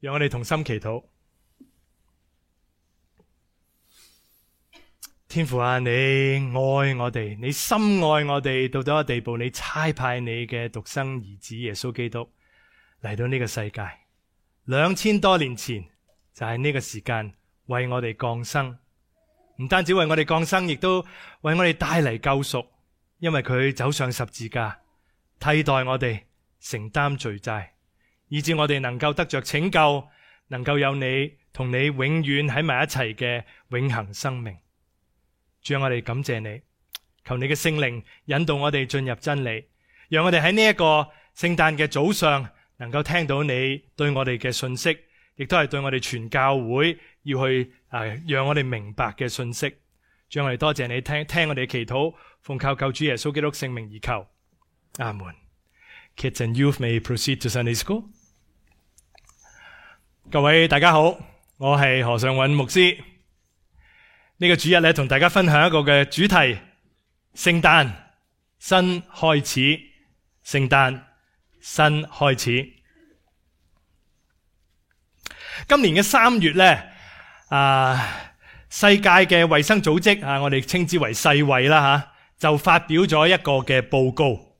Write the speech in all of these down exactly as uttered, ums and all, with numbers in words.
讓我哋同心祈禱。天父啊，你愛我哋，你深愛我哋到咗一個地步，你差派你嘅獨生兒子耶穌基督嚟到呢個世界。兩千多年前就係呢個時間為我哋降生，唔單止為我哋降生，亦都為我哋帶嚟救贖，因為佢走上十字架替代我哋承擔罪債，以致我哋能夠得着拯救，能夠有你同你永遠喺埋一齊嘅永恆生命。主啊，我哋感謝你，求你嘅聖靈引導我哋進入真理，讓我哋喺呢一個聖誕嘅早上能夠聽到你對我哋嘅信息，亦都係對我哋全教會要去誒讓我哋明白嘅信息。主啊，我哋多謝你聽聽我哋嘅祈禱，奉靠救主耶穌基督聖名而求，阿門。Kids and youth may proceed to Sunday school。各位大家好，我係何尚允牧師。呢個主日咧，同大家分享一個嘅主題：聖誕新開始。聖誕新開始。今年嘅三月咧，啊，世界嘅衛生組織啊，我哋稱之為世衛啦吓，就發表咗一個嘅報告。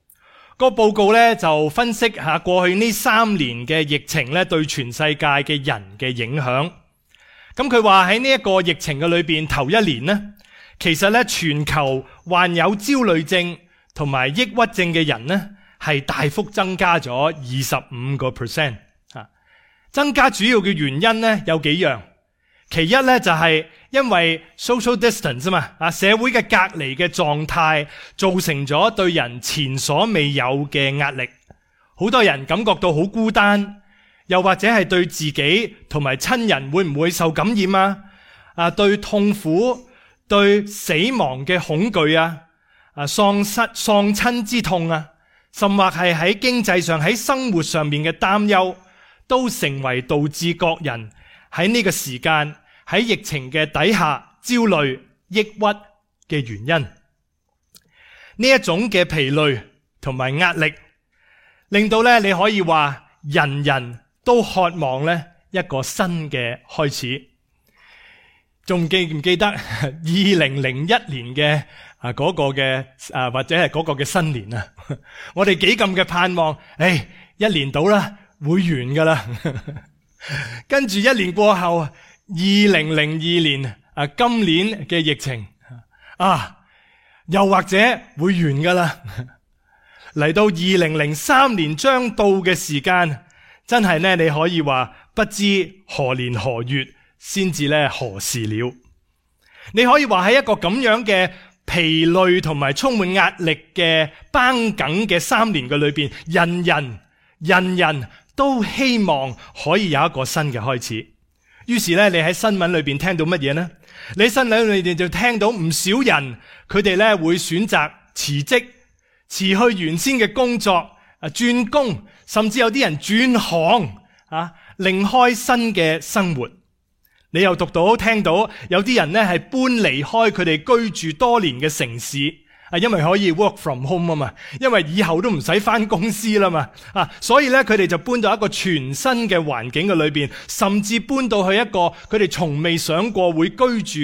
個報告咧就分析下過去呢三年嘅疫情咧對全世界嘅人嘅影響。咁佢話喺呢一個疫情嘅裏邊，頭一年呢，其實咧全球患有焦慮症同埋抑鬱症嘅人呢係大幅增加咗二十五個 percent 啊。增加主要嘅原因呢有幾樣，其一咧就係因為 social distance 啊嘛，啊社會嘅隔離嘅狀態造成咗對人前所未有嘅壓力，好多人感覺到好孤單。又或者係對自己同埋親人會唔會受感染啊？啊，對痛苦、對死亡嘅恐懼啊，啊，喪失、喪親之痛啊，甚或係喺經濟上、喺生活上面嘅擔憂，都成為導致各人喺呢個時間喺疫情嘅底下焦慮、抑鬱嘅原因。呢一種嘅疲累同埋壓力，令到咧你可以話人人都渴望咧一個新嘅開始。仲記唔記得二零零一年嘅啊嗰個嘅啊或者係嗰個嘅新年啊？我哋幾咁嘅盼望，誒一年到啦會完噶啦，跟住一年過後，二零零二年啊今年嘅疫情啊又或者會完噶啦，嚟到二零零三年將到嘅時間。真係咧，你可以話不知何年何月先至咧何時了。你可以話喺一個咁樣嘅疲累同埋充滿壓力嘅繃緊嘅三年嘅裏邊，人人人人都希望可以有一個新嘅開始。於是咧，你喺新聞裏邊聽到乜嘢呢？你喺新聞裏邊就聽到唔少人佢哋咧會選擇辭職，辭去原先嘅工作，啊轉工。甚至有啲人轉行啊，另開新嘅生活。你又讀到聽到有啲人呢係搬離開佢哋居住多年嘅城市啊，因為可以 work from home 啊嘛，因為以後都唔使返公司啦嘛啊，所以咧佢哋就搬到一個全新嘅環境嘅裏邊，甚至搬到去一個佢哋從未想過會居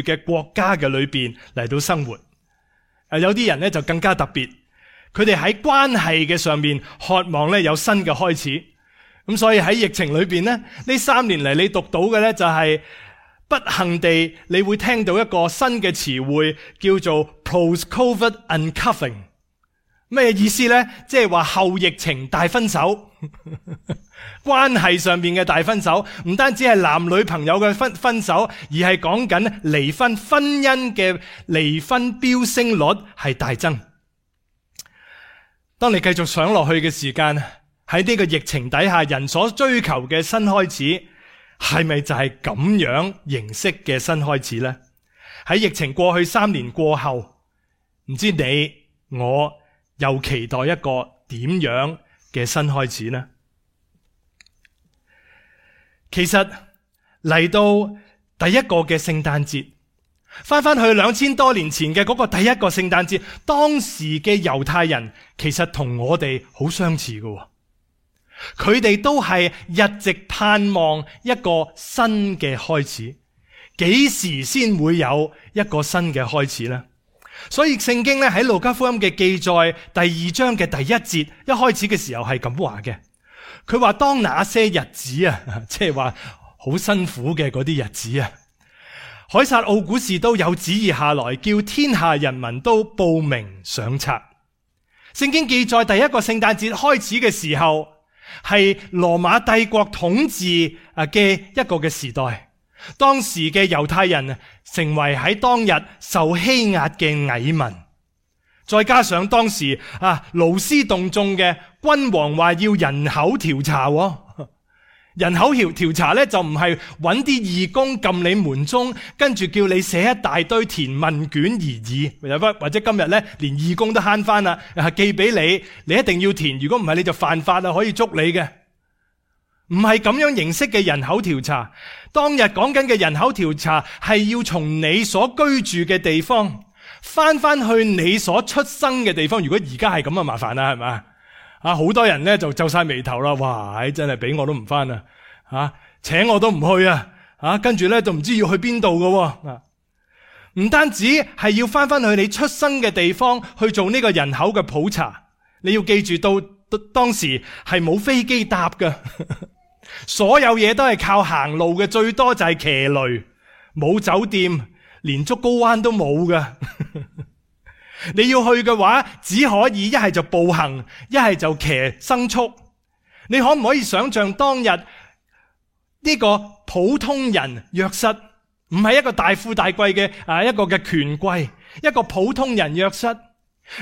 住嘅國家嘅裏邊嚟到生活。啊，有啲人呢就更加特別。佢哋喺關係嘅上面渴望咧有新嘅開始，咁所以喺疫情裏邊呢，呢三年嚟你讀到嘅咧就係不幸地你會聽到一個新嘅詞彙叫做 post-COVID uncovering。咩意思呢？即係話後疫情大分手，關係上面嘅大分手，唔單止係男女朋友嘅分分手，而係講緊離婚，婚姻嘅離婚飆升率係大增。當你繼續想落去嘅時間，喺呢個疫情底下，人所追求嘅新開始，係咪就係咁樣形式嘅新開始呢？喺疫情過去三年過後，唔知你我又期待一個點樣嘅新開始呢？其實嚟到第一個嘅聖誕節，翻翻去兩千多年前嘅嗰個第一個聖誕節，當時嘅猶太人其實同我哋好相似嘅。佢哋都係一直盼望一個新嘅開始。幾時先會有一個新嘅開始呢？所以聖經咧喺路加福音嘅記載第二章嘅第一節，一開始嘅時候係咁話嘅。佢話當那些日子啊，即係話好辛苦嘅嗰啲日子啊，凱撒奧古士都有旨意下來，叫天下人民都報名上冊。聖經記載第一個聖誕節開始嘅時候，係羅馬帝國統治啊嘅一個嘅時代。當時嘅猶太人成為喺當日受欺壓嘅蟻民，再加上當時啊勞師動眾嘅君王話要人口調查，人口調調查咧就唔係揾啲義工撳你門鐘，跟住叫你寫一大堆填問卷而已，或者今日咧連義工都慳翻啦，寄俾你，你一定要填，如果唔係你就犯法啦，可以捉你嘅。唔係咁樣形式嘅人口調查，當日講緊嘅人口調查係要從你所居住嘅地方翻翻去你所出生嘅地方。如果而家係咁啊，麻煩啦，係咪啊？好多人咧就皺晒眉頭啦，哇！真係俾我都唔翻啊，啊，請我都唔去啊，啊，跟住咧就唔知要去邊度噶，啊，唔單止係要翻翻去你出生嘅地方去做呢個人口嘅普查，你要記住到當時係冇飛機搭噶。所有嘢都係靠行路嘅，最多就係騎驢，冇酒店，連竹篙灣都冇噶。你要去嘅話，只可以一係就步行，一係就騎牲畜。你可唔可以想象當日呢個普通人約瑟，唔係一個大富大貴嘅啊一個嘅權貴，一個普通人約瑟，呢、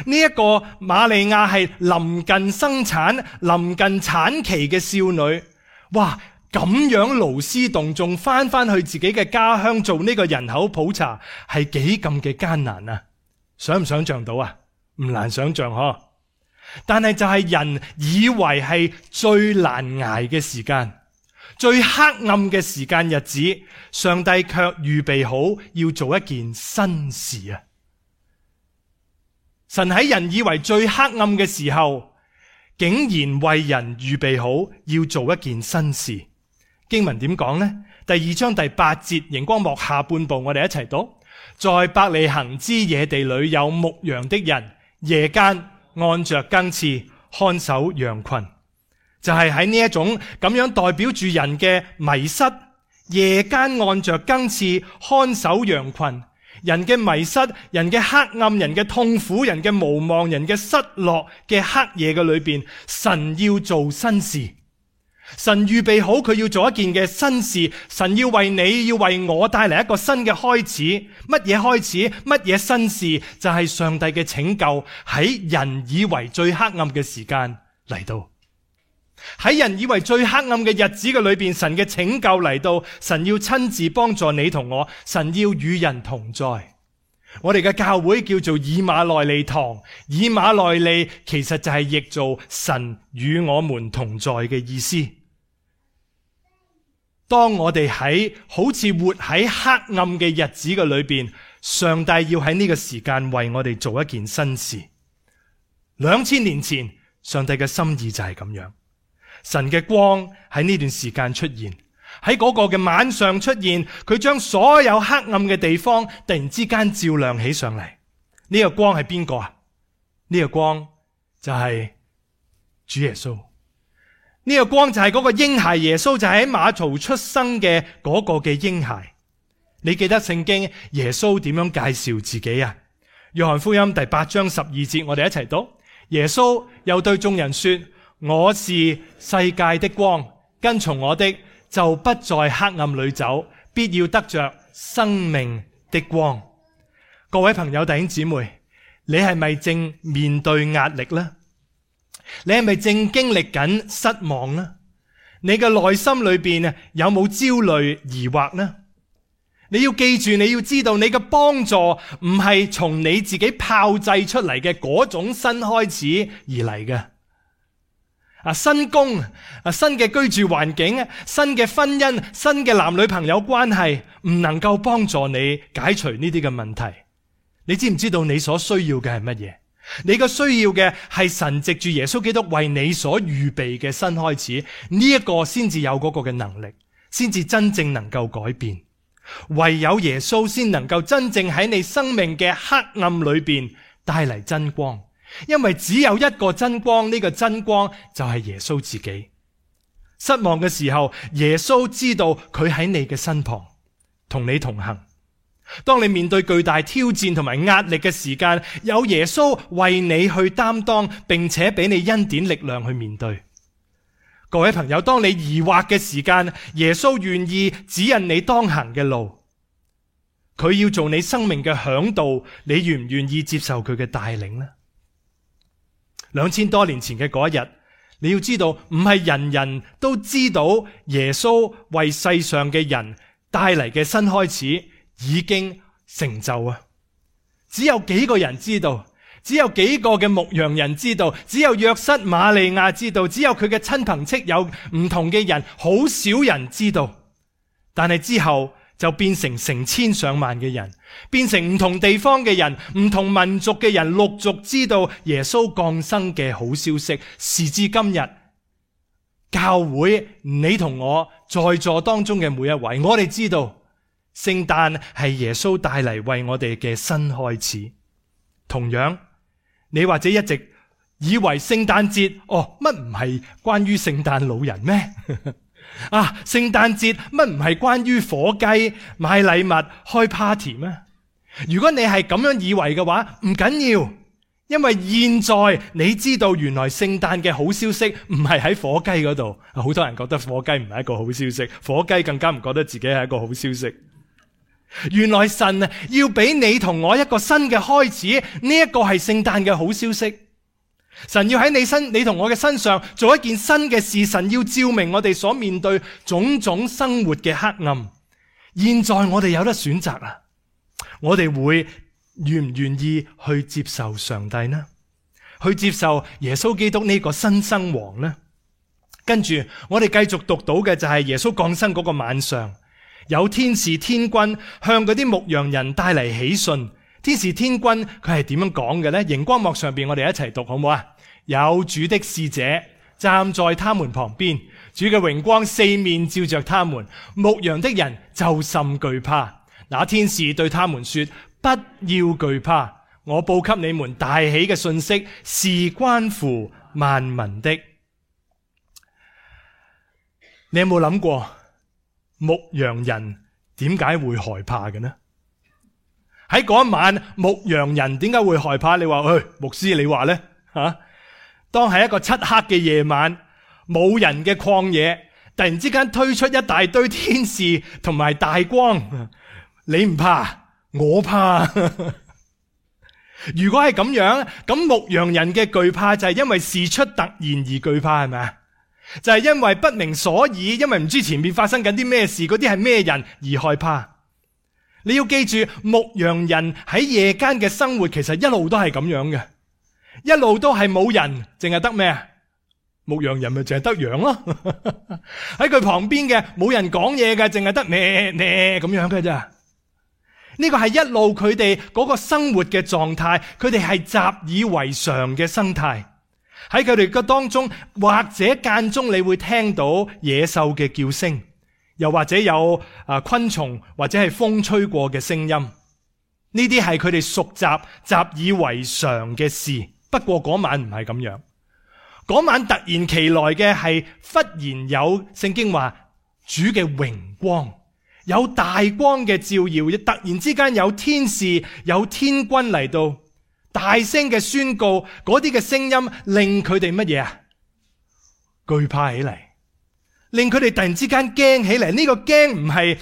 這、一個瑪利亞係臨近生產、臨近產期嘅少女。哇！咁樣勞師動眾翻翻去自己嘅家鄉做呢個人口普查，係幾咁嘅艱難啊！想唔想象到啊？唔難想象嗬。但係就係人以為係最難挨嘅時間、最黑暗嘅時間日子，上帝卻預備好要做一件新事啊！神喺人以為最黑暗嘅時候，竟然為人預備好要做一件新事。經文點講呢？第二章第八節，熒光幕下半部，我哋一齊讀。在伯利恆之野地裏有牧羊的人，夜間按着更次看守羊群。就係喺呢一種咁樣代表住人嘅迷失，夜間按着更次看守羊群。人嘅迷失，人嘅黑暗，人嘅痛苦，人嘅無望，人嘅失落嘅黑夜嘅裏邊，神要做新事。神預備好佢要做一件嘅新事，神要為你要為我帶嚟一個新嘅開始。乜嘢開始？乜嘢新事？就係上帝嘅拯救喺人以為最黑暗嘅時間嚟到。喺人以為最黑暗嘅日子嘅裏邊，神嘅拯救嚟到，神要親自幫助你同我，神要與人同在。我哋嘅教會叫做以馬內利堂，以馬內利其實就係譯做神與我們同在嘅意思。當我哋喺好似活喺黑暗嘅日子嘅裏邊，上帝要喺呢個時間為我哋做一件新事。兩千年前，上帝嘅心意就係咁樣。神嘅光喺呢段時間出現，喺嗰個嘅晚上出現，佢將所有黑暗嘅地方突然之間照亮起上嚟。呢個光係邊個啊？呢個光就係主耶穌。呢個光就係嗰個嬰孩耶穌，就係喺馬槽出生嘅嗰個嘅嬰孩。你記得聖經耶穌點樣介紹自己啊？約翰福音第八章十二節，我哋一齊讀。耶穌又對眾人說：我是世界的光，跟從我的就不在黑暗裏走，必要得着生命的光。各位朋友弟兄姊妹，你係咪正面對壓力呢？你係咪正經歷緊失望呢？你嘅內心裏邊有冇焦慮疑惑呢？你要記住，你要知道，你嘅幫助唔係從你自己炮製出嚟嘅嗰種新開始而嚟嘅。啊，新工啊，新嘅居住環境，新嘅婚姻，新嘅男女朋友關係，唔能夠幫助你解除呢啲嘅問題。你知唔知道你所需要嘅係乜嘢？你嘅需要嘅係神藉住耶穌基督為你所預備嘅新開始，呢一個先至有嗰個嘅能力，先至真正能夠改變。唯有耶穌先能夠真正喺你生命嘅黑暗裏邊帶嚟真光，因為只有一個真光，呢個真光就係耶穌自己。失望嘅時候，耶穌知道佢喺你嘅身旁，同你同行。當你面對巨大挑戰同埋壓力嘅時間，有耶穌為你去擔當，並且俾你恩典力量去面對。各位朋友，當你疑惑嘅時間，耶穌願意指引你當行嘅路。佢要做你生命嘅嚮導，你願唔願意接受佢嘅帶領呢？兩千多年前嘅嗰一日，你要知道，唔係人人都知道耶穌為世上嘅人帶嚟嘅新開始已經成就啊！只有幾個人知道，只有幾個嘅牧羊人知道，只有約瑟瑪利亞知道，只有佢嘅親朋戚友唔同嘅人，好少人知道。但係之後就變成成千上萬嘅人，變成唔同地方嘅人、唔同民族嘅人陸續知道耶穌降生嘅好消息。時至今日，教會你同我在座當中嘅每一位，我哋知道聖誕係耶穌帶嚟為我哋嘅新開始。同樣，你或者一直以為聖誕節，哦，乜唔係關於聖誕老人咩？啊，聖誕節乜唔係關於火雞、買禮物、開 party 咩？如果你係咁樣以為嘅話，唔緊要，因為現在你知道原來聖誕嘅好消息唔係喺火雞嗰度。好多人覺得火雞唔係一個好消息，火雞更加唔覺得自己係一個好消息。原來神要俾你同我一個新嘅開始，呢一個係聖誕嘅好消息。神要喺你身、你同我嘅身上做一件新嘅事，神要照明我哋所面對種種生活嘅黑暗。現在我哋有得選擇啦，我哋會願唔願意去接受上帝呢？去接受耶穌基督呢個新生王呢？跟住我哋繼續讀到嘅就係耶穌降生嗰個晚上，有天使天君向嗰啲牧羊人帶嚟喜訊。天使天君佢係點樣講嘅呢？熒光幕上邊我哋一齊讀好唔好啊？有主的使者站在他們旁邊，主嘅榮光四面照着他們，牧羊的人就甚懼怕。那天使對他們說：不要懼怕，我報給你們大喜嘅信息是關乎萬民的。你有冇諗過牧羊人點解會害怕嘅呢？喺嗰一晚，牧羊人點解會害怕？你話，誒，牧師你話呢？吓，當係一個漆黑嘅夜晚，冇人嘅曠野，突然之間推出一大堆天使同埋大光，你唔怕，我怕。如果係咁樣，咁牧羊人嘅懼怕就係因為事出突然而懼怕，係咪啊？就係因為不明所以，因為唔知前面發生緊啲咩事，嗰啲係咩人而害怕。你要記住，牧羊人喺夜間嘅生活其實一路都係咁樣嘅，一路都係冇人，淨係得咩啊？牧羊人咪淨係得羊咯。喺佢旁邊嘅冇人講嘢嘅，淨係得咩咩咁樣嘅咋。呢個係一路佢哋嗰個生活嘅狀態，佢哋係習以為常嘅生態。喺佢哋嘅當中，或者間中你會聽到野獸嘅叫聲，又或者有啊昆蟲或者係風吹過嘅聲音，呢啲係佢哋熟習習以為常嘅事。不過嗰晚唔係咁樣，嗰晚突然其來嘅係忽然有聖經話主嘅榮光，有大光嘅照耀，突然之間有天使有天君嚟到，大聲嘅宣告，嗰啲嘅聲音令佢哋乜嘢啊？懼怕起嚟。令佢哋突然之間驚起嚟，呢個驚唔係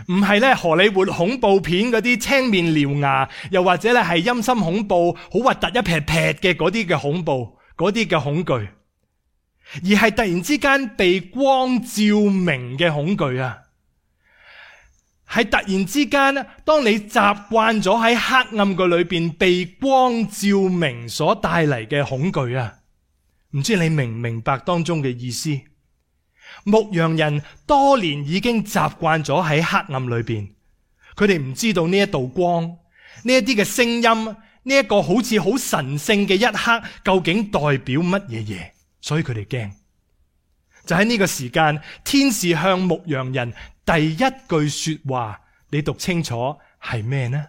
唔係咧荷里活恐怖片嗰啲青面獠牙，又或者咧係陰森恐怖好核突一劈劈嘅嗰啲嘅恐怖，嗰啲嘅恐懼，而係突然之間被光照明嘅恐懼啊！係突然之間，當你習慣咗喺黑暗嘅裏邊被光照明所帶嚟嘅恐懼啊！唔知你明唔明白當中嘅意思？牧羊人多年已經習慣咗喺黑暗裏邊，佢哋唔知道呢一道光，呢一啲嘅聲音，呢呢一個好似好神聖嘅一刻，究竟代表乜嘢嘢？所以佢哋驚。就喺呢個時間，天使向牧羊人第一句說話，你讀清楚係咩呢？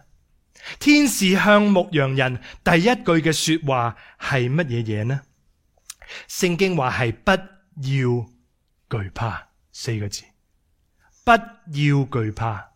天使向牧羊人第一句嘅說話係乜嘢嘢呢？聖經話係不要懼怕，四個字，不要懼怕。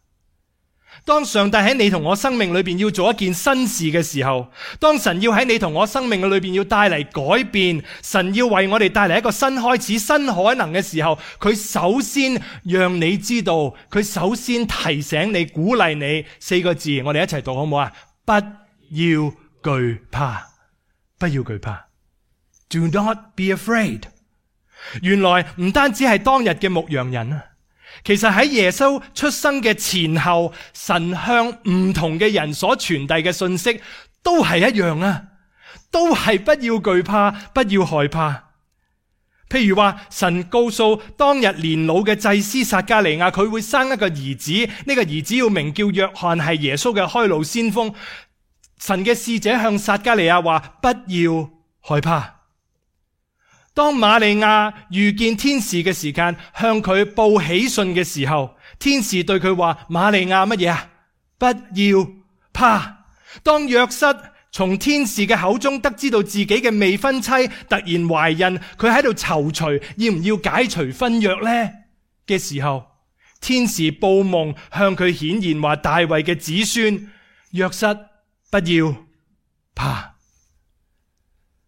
當上帝喺你同我生命裏邊要做一件新事嘅時候，當神要喺你同我生命裏邊要帶嚟改變，神要為我哋帶嚟一個新開始、新可能嘅時候，佢首先讓你知道，佢首先提醒你、鼓勵你四個字，我哋一齊讀好唔好啊？不要懼怕，不要懼怕。Do not be afraid。原來唔單止係當日嘅牧羊人啊。其實喺耶穌出生嘅前後，神向唔同嘅人所傳遞嘅信息都係一樣啊，都係不要懼怕，不要害怕。譬如話，神告訴當日年老嘅祭司撒迦利亞，佢會生一個兒子，呢個兒子要名叫約翰，係耶穌嘅開路先鋒。神嘅使者向撒迦利亞話：不要害怕。當瑪利亞遇見天使嘅時間，向佢報喜訊嘅時候，天使對佢話：瑪利亞乜嘢啊？不要怕。當約瑟從天使嘅口中得知到自己嘅未婚妻突然懷孕，佢喺度躊躇要唔要解除婚約呢嘅時候，天使報夢向佢顯現話：大衛嘅子孫約瑟不要怕。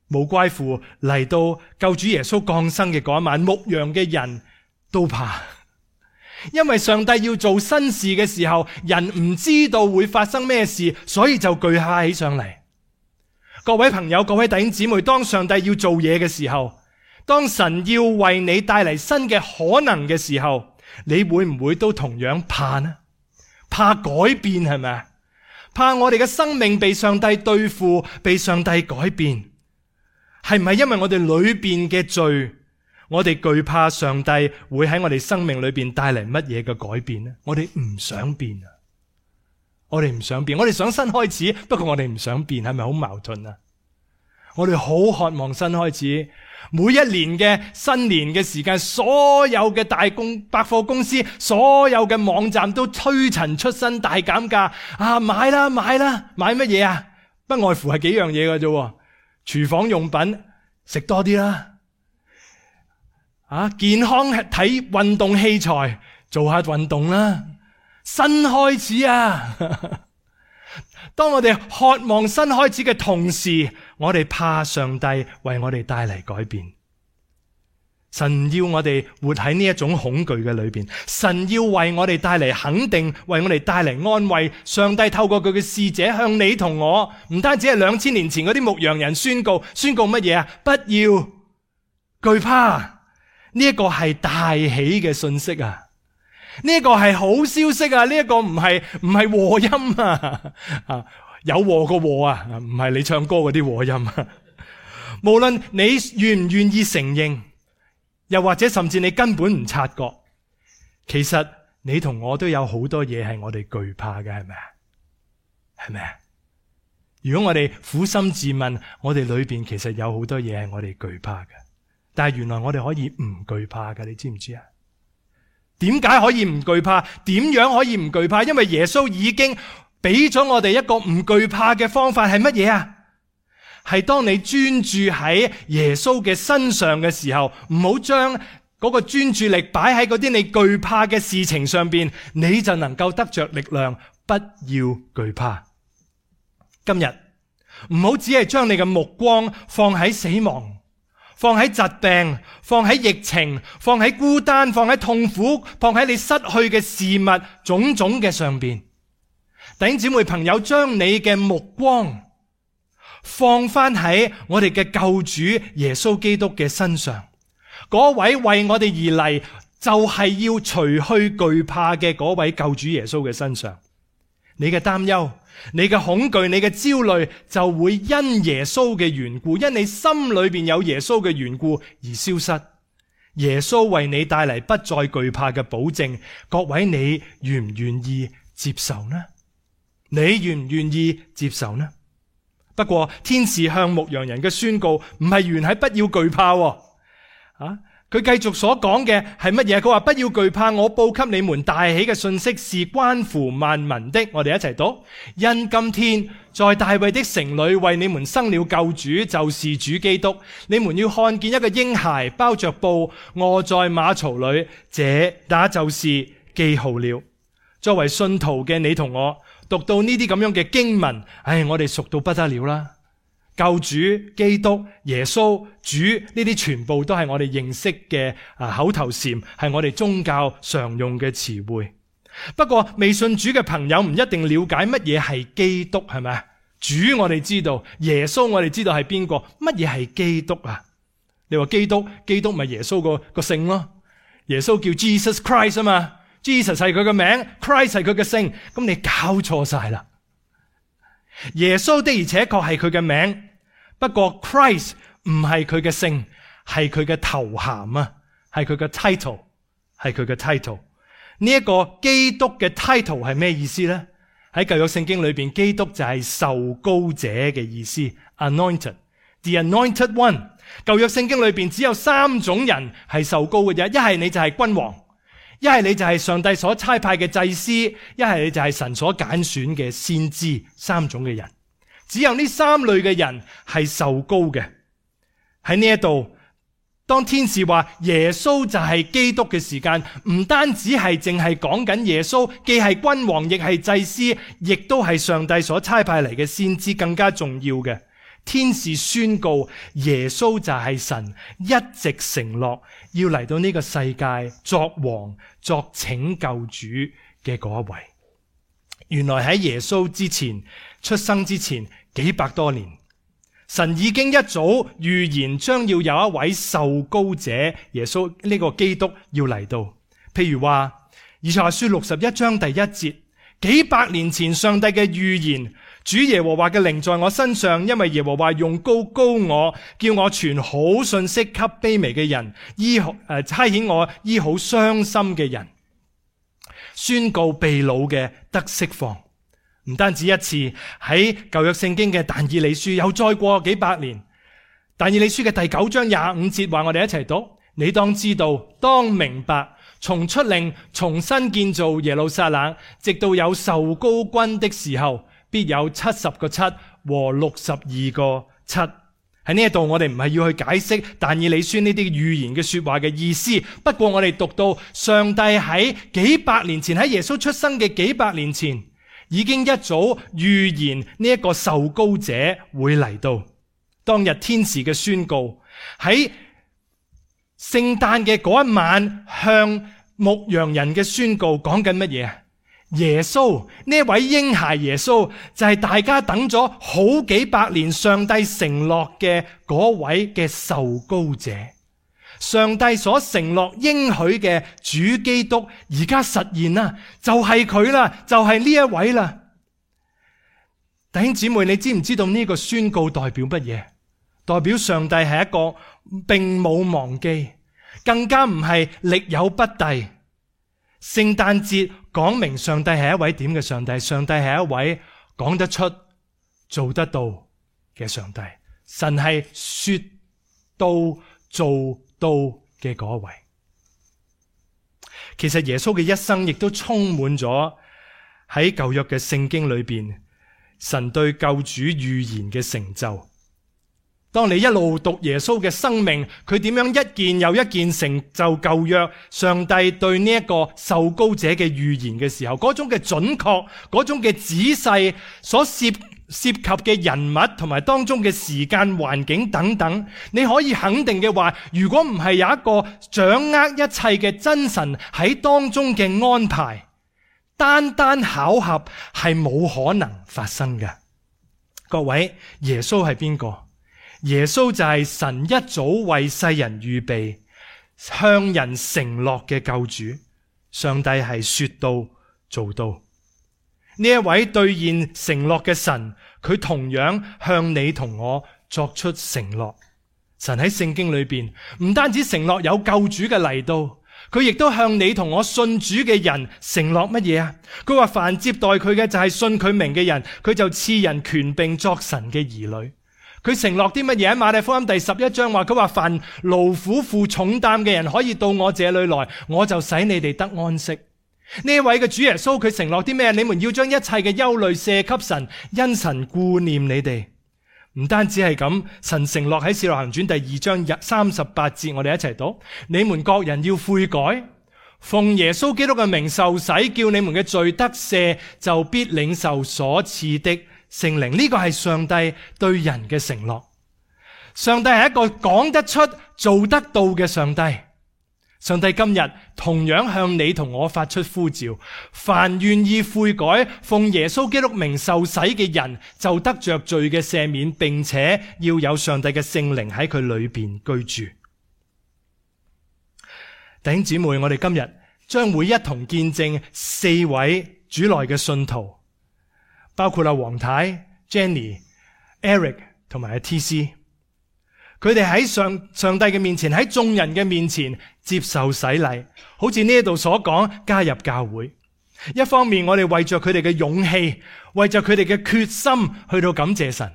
無怪乎嚟到救主耶穌降生嘅嗰一晚，牧羊嘅人都怕，因為上帝要做新事嘅時候，人唔知道會發生咩事，所以就懼怕起上嚟。各位朋友，各位弟兄姊妹，當上帝要做嘢嘅時候，當神要為你帶嚟新嘅可能嘅時候，你會唔會都同樣怕呢？怕改變係咪？怕我哋嘅生命被上帝對付，被上帝改變。係唔係因為我哋裏邊嘅罪，我哋懼怕上帝會喺我哋生命裏邊帶嚟乜嘢嘅改變呢？我哋唔想變啊！我哋唔想變，我哋想新開始，不過我哋唔想變，係咪好矛盾啊？我哋好渴望新開始，每一年嘅新年嘅時間，所有嘅大公百貨公司，所有嘅網站都推陳出新大減價啊！買啦買啦，買乜嘢啊？不外乎係幾樣嘢㗎啫。廚房用品食多啲啦，啊，健康體運動器材做下運動啦，新開始啊！當我哋渴望新開始嘅同時，我哋怕上帝為我哋帶嚟改變。神要我哋活喺呢一種恐懼嘅裏邊，神要為我哋帶嚟肯定，為我哋帶嚟安慰。上帝透過佢嘅使者向你同我，唔單止係兩千年前嗰啲牧羊人宣告，宣告乜嘢啊？不要懼怕，呢一個係大喜嘅信息啊！呢一個係好消息啊！呢一個唔係唔係禍音啊！啊，有禍個禍啊，唔係你唱歌嗰啲禍音啊！無論你願唔願意承認，又或者甚至你根本唔察覺，其實你同我都有好多嘢係我哋懼怕嘅，係咪啊？係咪啊？如果我哋苦心自問，我哋裏邊其實有好多嘢係我哋懼怕嘅，但係原來我哋可以唔懼怕嘅，你知唔知啊？點解可以唔懼怕？點樣可以唔懼怕？因為耶穌已經俾咗我哋一個唔懼怕嘅方法，係乜嘢啊？係當你專注喺耶穌嘅身上嘅時候，唔好將嗰個專注力擺喺嗰啲你懼怕嘅事情上邊，你就能夠得着力量。不要懼怕。今日唔好只係將你嘅目光放喺死亡，放喺疾病，放喺疫情，放喺孤單，放喺痛苦，放喺你失去嘅事物種種嘅上邊。弟兄姊妹朋友，將你嘅目光放翻喺我哋嘅救主耶穌基督嘅身上，嗰位為我哋而嚟就係要除去懼怕嘅嗰位救主耶穌嘅身上。你嘅擔憂，你嘅恐懼，你嘅焦慮就會因耶穌嘅緣故，因你心裏邊有耶穌嘅緣故而消失。耶穌為你帶嚟不再懼怕嘅保證，各位，你願唔願意接受呢？你願唔願意接受呢？不過天使向牧羊人嘅宣告唔係完喺不要懼怕喎。啊，佢繼續所講嘅係乜嘢？佢話不要懼怕，我報給你們大喜嘅信息是關乎萬民的。我哋一齊讀：因今天在大衛的城裏為你們生了救主，就是主基督。你們要看見一個嬰孩包着布臥在馬槽裏，這那就是記號了。作為信徒嘅你同我，讀到呢啲咁樣嘅經文，唉，我哋熟到不得了啦。救主、基督、耶穌、主呢啲全部都係我哋認識嘅啊口頭禪，係我哋宗教常用嘅詞彙。不過未信主嘅朋友唔一定了解乜嘢係基督，係咪？主我哋知道，耶穌我哋知道係邊個，乜嘢係基督啊？你話基督，基督咪耶穌個個姓咯？耶穌叫 Jesus Christ 啊嘛。Jesus 係佢嘅名 ，Christ 係佢嘅姓，咁你搞錯晒啦。耶穌的而且確係佢嘅名，不過 Christ 唔係佢嘅姓，係佢嘅頭銜啊，係佢嘅 title， 係佢嘅 title。呢一個基督嘅 title 係咩意思呢？喺舊約聖經裏邊，基督就係受膏者嘅意思 ，anointed，the anointed one。舊約聖經裏邊只有三種人係受膏嘅啫，一係你就係君王。一係你就係上帝所差派嘅祭司，一係你就係神所揀選嘅先知，三種嘅人，只有呢三類嘅人係受膏嘅。喺呢一度，當天使話耶穌就係基督嘅時間，唔單止係淨係講緊耶穌，既係君王，亦係祭司，亦都係上帝所差派嚟嘅先知，更加重要嘅。天使宣告耶穌就係神一直承諾要嚟到呢個世界作王作拯救主嘅嗰一位。原來喺耶穌之前出生之前幾百多年，神已經一早預言將要有一位受膏者耶穌呢個基督要嚟到。譬如話以賽亞書六十一章第一節，幾百年前上帝嘅預言，主耶和華嘅靈在我身上，因為耶和華用膏膏我，叫我傳好信息給卑微嘅人，醫好誒差遣我醫好傷心嘅人，宣告被擄嘅得釋放。唔單止一次，喺舊約聖經嘅但以理書又再過幾百年，但以理書嘅第九章廿五節話，我哋一齊讀：你當知道，當明白，從出令重新建造耶路撒冷，直到有受膏君的時候，必有七十個七和六十二個七。喺呢一度，我哋唔係要去解釋但以理書呢啲預言嘅說話嘅意思。不過我哋讀到上帝喺幾百年前，喺耶穌出生嘅幾百年前，已經一早預言呢一個受膏者會嚟到。當日天使嘅宣告，喺聖誕嘅嗰一晚向牧羊人嘅宣告，講緊乜嘢？耶穌呢位嬰孩耶穌就係大家等咗好幾百年上帝承諾嘅嗰位嘅受膏者，上帝所承諾應許嘅主基督而家實現啦，就係佢啦，就係呢一位啦。弟兄姊妹，你知唔知道呢個宣告代表乜嘢？代表上帝係一個並冇忘記，更加唔係力有不逮。聖誕節講明上帝係一位點嘅上帝？上帝係一位講得出、做得到嘅上帝。神係說到做到嘅嗰位。其實耶穌嘅一生亦都充滿咗喺舊約嘅聖經裏邊，神對救主預言嘅成就。當你一路讀耶穌嘅生命，佢點樣一件又一件成就舊約上帝對呢一個受膏者嘅預言嘅時候，嗰種嘅準確，嗰種嘅仔細，所涉涉及嘅人物同埋當中嘅時間環境等等，你可以肯定嘅話，如果唔係有一個掌握一切嘅真神喺當中嘅安排，單單巧合係冇可能發生嘅。各位，耶穌係邊個？耶穌就係神一早為世人預備、向人承諾嘅救主。上帝係說到做到。呢一位兌現承諾嘅神，佢同樣向你同我作出承諾。神喺聖經裏邊唔單止承諾有救主嘅嚟到，佢亦都向你同我信主嘅人承諾乜嘢啊？佢話凡接待佢嘅就係信佢名嘅人，佢就賜人權柄作神嘅兒女。佢承諾啲乜嘢？喺馬太福音第十一章話，佢話凡勞苦負重擔嘅人可以到我這裏來，我就使你哋得安息。呢位嘅主耶穌佢承諾啲咩？你們要將一切嘅憂慮卸給神，因神顧念你哋。唔單止係咁，神承諾喺《使徒行傳》第二章三十八節，我哋一齊讀：你們各人要悔改，奉耶穌基督嘅名受洗，叫你們嘅罪得赦，就必領受所賜的聖靈。呢個係上帝對人嘅承諾。上帝係一個講得出、做得到嘅上帝。上帝今日同樣向你同我發出呼召，凡願意悔改、奉耶穌基督名受洗嘅人，就得着罪嘅赦免，並且要有上帝嘅聖靈喺佢裏邊居住。弟兄姊妹，我哋今日將會一同見證四位主內嘅信徒，包括阿黃太、Jenny、Eric 同埋阿 T C。佢哋喺上上帝嘅面前，喺眾人嘅面前接受洗禮，好似呢度所講，加入教會。一方面我哋為着佢哋嘅勇氣，為着佢哋嘅決心去到感謝神；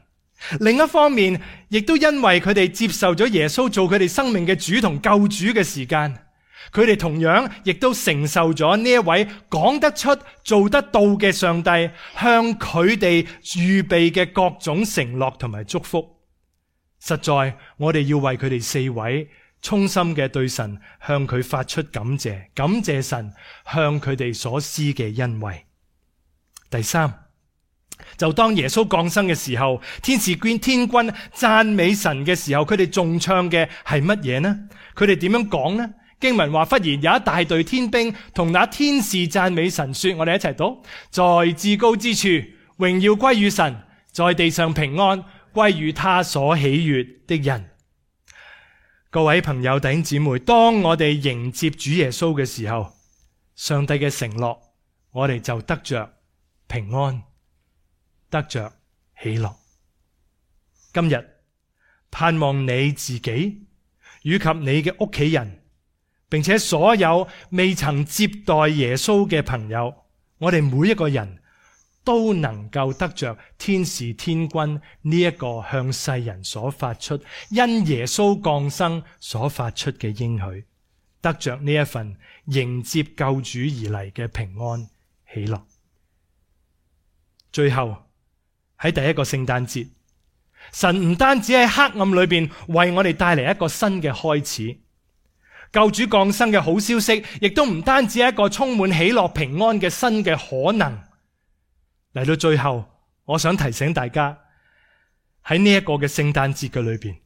另一方面亦都因為佢哋接受咗耶穌做佢哋生命嘅主同救主嘅時間，佢哋同樣亦都承受咗呢一位講得出、做得到嘅上帝向佢哋預備嘅各種承諾同埋祝福。實在我哋要為佢哋四位衷心嘅對神向佢發出感謝，感謝神向佢哋所施嘅恩惠。第三，就當耶穌降生嘅時候，天使天天軍讚美神嘅時候，佢哋仲唱嘅係乜嘢呢？佢哋點樣講呢？經文話，忽然有一大隊天兵同那天使讚美神說，我哋一齊讀：在至高之處榮耀歸於神，在地上平安歸於他所喜悅的人。各位朋友弟兄姊妹，當我哋迎接主耶穌嘅時候，上帝嘅承諾，我哋就得着平安，得着喜樂。今日盼望你自己以及你嘅屋企人，並且所有未曾接待耶穌嘅朋友，我哋每一個人都能夠得着天使天軍呢一個向世人所發出，因耶穌降生所發出嘅應許，得着呢一份迎接救主而嚟嘅平安喜樂。最後喺第一個聖誕節，神唔單止喺黑暗裏邊為我哋帶嚟一個新嘅開始，救主降生嘅好消息，亦都唔單止係一個充滿喜樂平安嘅新嘅可能。嚟到最後，我想提醒大家，喺呢一個嘅聖誕節嘅裏邊，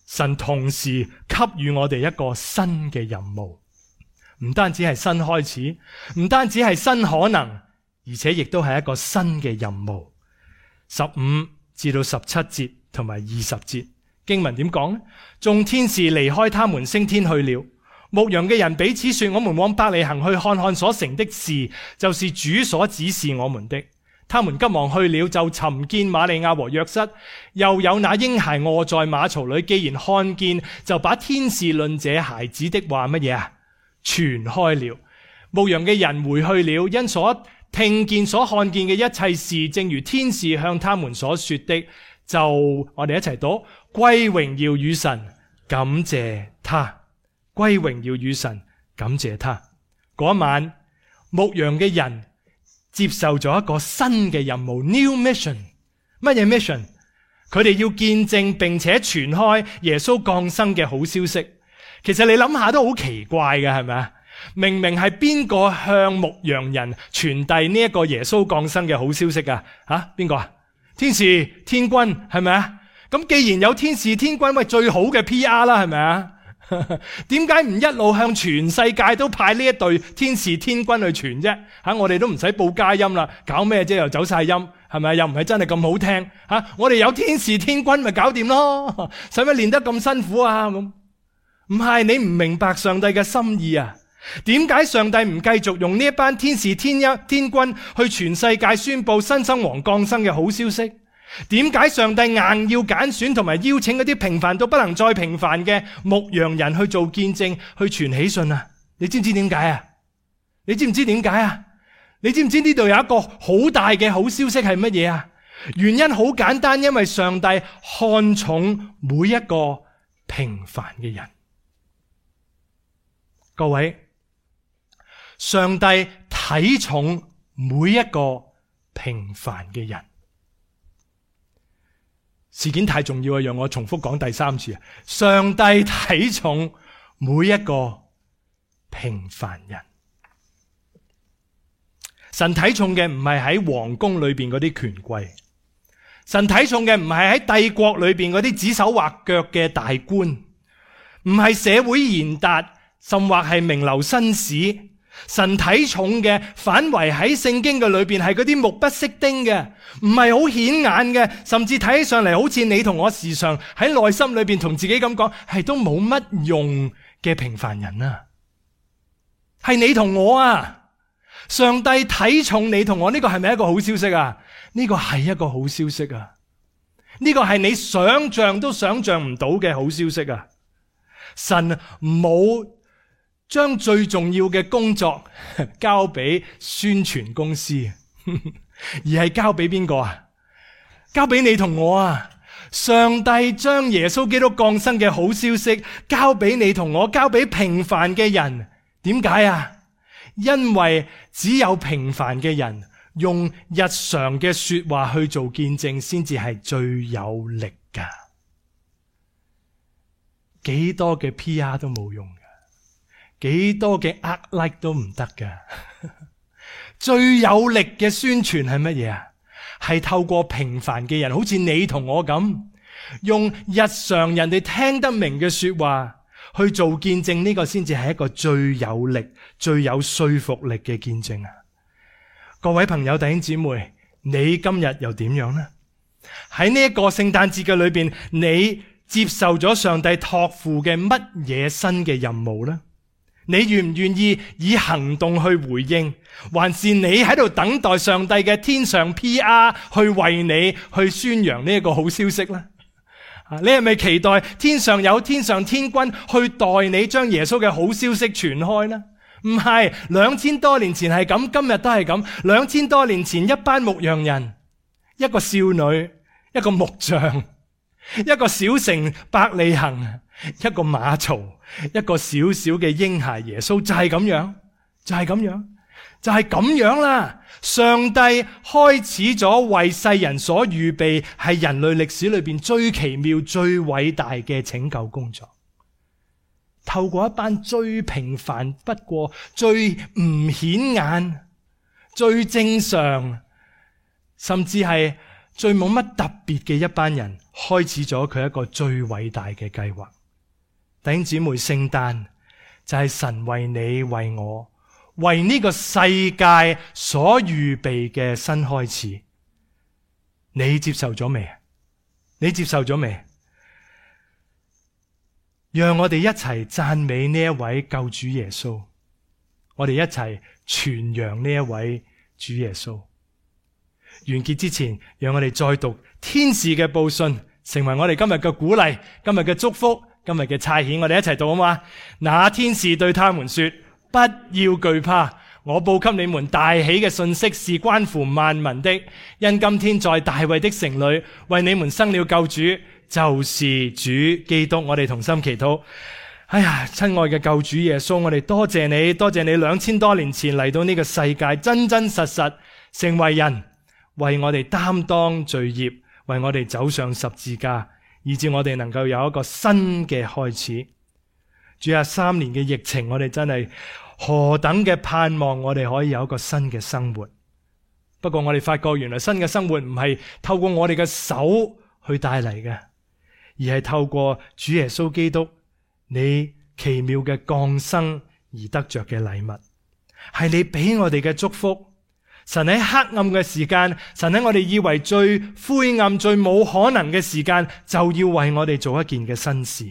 神同時給予我哋一個新嘅任務，唔單止係新開始，唔單止係新可能，而且亦都係一個新嘅任務。十五至到十七節同埋二十節經文點講呢？眾天使離開他們升天去了，牧羊嘅人彼此說，我們往伯利恆去看看所成的事，就是主所指示我們的。他們急忙去了，就尋見瑪利亞和約瑟，又有那嬰孩臥在馬槽裏。既然看見，就把天使論這孩子的話乜嘢啊傳開了。牧羊嘅人回去了，因所聽見所看見嘅一切事，正如天使向他們所說的，就我哋一齊讀：歸榮耀與神，感謝他。歸榮耀與神，感謝他。嗰晚，牧羊嘅人接受咗一個新嘅任務 ，new mission。乜嘢 mission？ 佢哋要見證並且傳開耶穌降生嘅好消息。其實你諗下都好奇怪嘅，係咪啊？明明係邊個向牧羊人傳遞呢一個耶穌降生嘅好消息啊？吓，邊個啊？天使天軍係咪啊？咁既然有天使天軍，喂，最好嘅 P R 啦，係咪啊？點解唔一路向全世界都派呢一隊天使天軍去傳啫？吓，我哋都唔使報佳音啦，搞咩啫？又走晒音，係咪？又唔係真係咁好聽吓？我哋有天使天軍咪搞掂咯？使乜練得咁辛苦啊？咁唔係，你唔明白上帝嘅心意啊？點解上帝唔繼續用呢一班天使天一天軍去全世界宣布新生王降生嘅好消息？點解上帝硬要揀選同埋邀請嗰啲平凡到不能再平凡嘅牧羊人去做見證，去傳喜訊啊？你知唔知點解啊？你知唔知點解啊？你知唔知呢度有一個好大嘅好消息係乜嘢啊？原因好簡單，因為上帝看重每一個平凡嘅人。各位，上帝睇重每一個平凡嘅人。事件太重要啊，讓我重複講第三次啊！上帝睇重每一個平凡人。神睇重嘅唔係喺皇宮裏邊嗰啲權貴，神睇重嘅唔係喺帝國裏邊嗰啲指手畫腳嘅大官，唔係社會賢達，甚或係名流紳士。神睇重嘅反為喺聖經嘅裏邊係嗰啲目不識丁嘅，唔係好顯眼嘅，甚至睇起上嚟好似你同我時常喺內心裏邊同自己咁講，係都冇乜用嘅平凡人啊！係你同我啊！上帝睇重你同我，呢個係咪一個好消息啊？呢個係一個好消息啊！呢個係你想象都想象唔到嘅好消息啊！神冇將最重要嘅工作交俾宣傳公司，而係交俾邊個啊？交俾你同我啊！上帝將耶穌基督降生嘅好消息交俾你同我，交俾平凡嘅人。點解啊？因為只有平凡嘅人用日常嘅說話去做見證，先至係最有力噶。幾多嘅 P R 都冇用噶，幾多嘅呃 like 都唔得噶。最有力嘅宣傳係乜嘢啊？係透過平凡嘅人，好似你同我咁，用日常人哋聽得明嘅說話去做見證，呢個先至係一個最有力、最有說服力嘅見證啊！各位朋友、弟兄姊妹，你今日又點樣呢？喺呢一個聖誕節嘅裏邊，你接受咗上帝託付嘅乜嘢新嘅任務呢？你願唔願意以行動去回應，還是你喺度等待上帝嘅天上 P R 去為你去宣揚呢一個好消息呢？你係咪期待天上有天上天軍去代你將耶穌嘅好消息傳開呢？唔係，兩千多年前係咁，今日都係咁。兩千多年前一班牧羊人，一個少女，一個木匠，一個小城伯利恆，一個馬槽，一個小小嘅嬰孩耶穌，就係咁樣，就係咁樣，就係咁樣啦。上帝開始咗為世人所預備，係人類歷史裏邊最奇妙、最偉大嘅拯救工作。透過一班最平凡不過、最唔顯眼、最正常，甚至係最冇乜特別嘅一班人，開始咗佢一個最偉大嘅計劃。弟兄姊妹，聖誕就係神為你、為我、為呢個世界所預備嘅新開始。你接受咗未？你接受咗未？讓我哋一齊讚美呢一位救主耶穌，我哋一齊傳揚呢一位主耶穌。完結之前，讓我哋再讀天使嘅報信，成為我哋今日嘅鼓勵、今日嘅祝福、今日嘅差遣。我哋一齊讀好嗎？那天使對他們說：不要懼怕，我報給你們大喜嘅信息是關乎萬民的，因今天在大衛的城裏為你們生了救主，就是主基督。我哋同心祈禱。哎呀，親愛嘅救主耶穌，我哋多謝你，多謝你兩千多年前嚟到呢個世界，真真實實成為人，為我哋擔當罪孽，為我哋走上十字架，以致我哋能夠有一個新嘅開始。主啊，三年嘅疫情，我哋真係何等嘅盼望，我哋可以有一個新嘅生活。不過我哋發覺，原來新嘅生活唔係透過我哋嘅手去帶嚟嘅，而係透過主耶穌基督你奇妙嘅降生而得着嘅禮物，係你俾我哋嘅祝福。神喺黑暗嘅時間，神喺我哋以為最灰暗、最冇可能嘅時間，就要為我哋做一件嘅新事。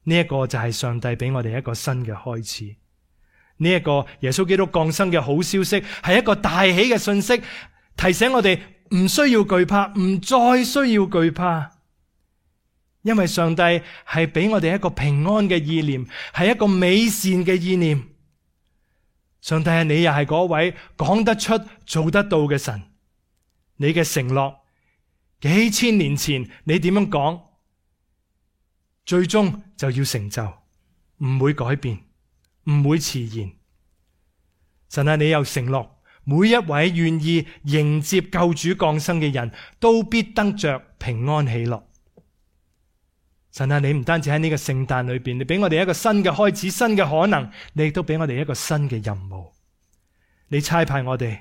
呢一個就係上帝俾我哋一個新嘅開始。呢一個耶穌基督降生嘅好消息，係一個大喜嘅信息，提醒我哋唔需要懼怕，唔再需要懼怕。因為上帝係俾我哋一個平安嘅意念，係一個美善嘅意念。上帝係你又係嗰位講得出做得到嘅神，你嘅承諾幾千年前你點樣講，最終就要成就，唔會改變，唔會遲延。神啊，你又承諾每一位願意迎接救主降生嘅人都必得着平安喜樂。神啊，你唔單止喺呢個聖誕裏邊，你俾我哋一個新嘅開始，新嘅可能，你亦都俾我哋一個新嘅任務。你差派我哋，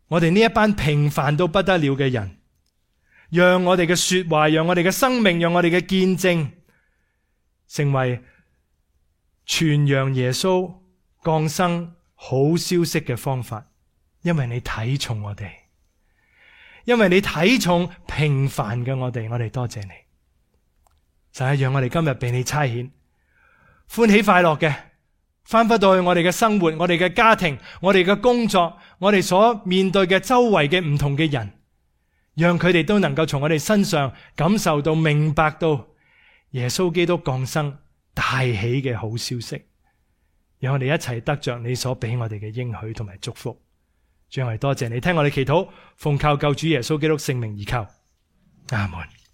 我哋呢一班平凡到不得了嘅人，讓我哋嘅說話，讓我哋嘅生命，讓我哋嘅見證，成為傳揚耶穌降生好消息嘅方法。因為你睇重我哋，因為你睇重平凡嘅我哋，我哋多謝你。就係讓我哋今日被你差遣，歡喜快樂嘅翻返到去我哋嘅生活，我哋嘅家庭，我哋嘅工作，我哋所面對嘅周圍嘅唔同嘅人，讓佢哋都能夠從我哋身上感受到、明白到耶穌基督降生大喜嘅好消息，讓我哋一齊得着你所俾我哋嘅應許同埋祝福。主，我哋多謝你聽我哋祈禱，奉靠救主耶穌基督聖名而求，阿門。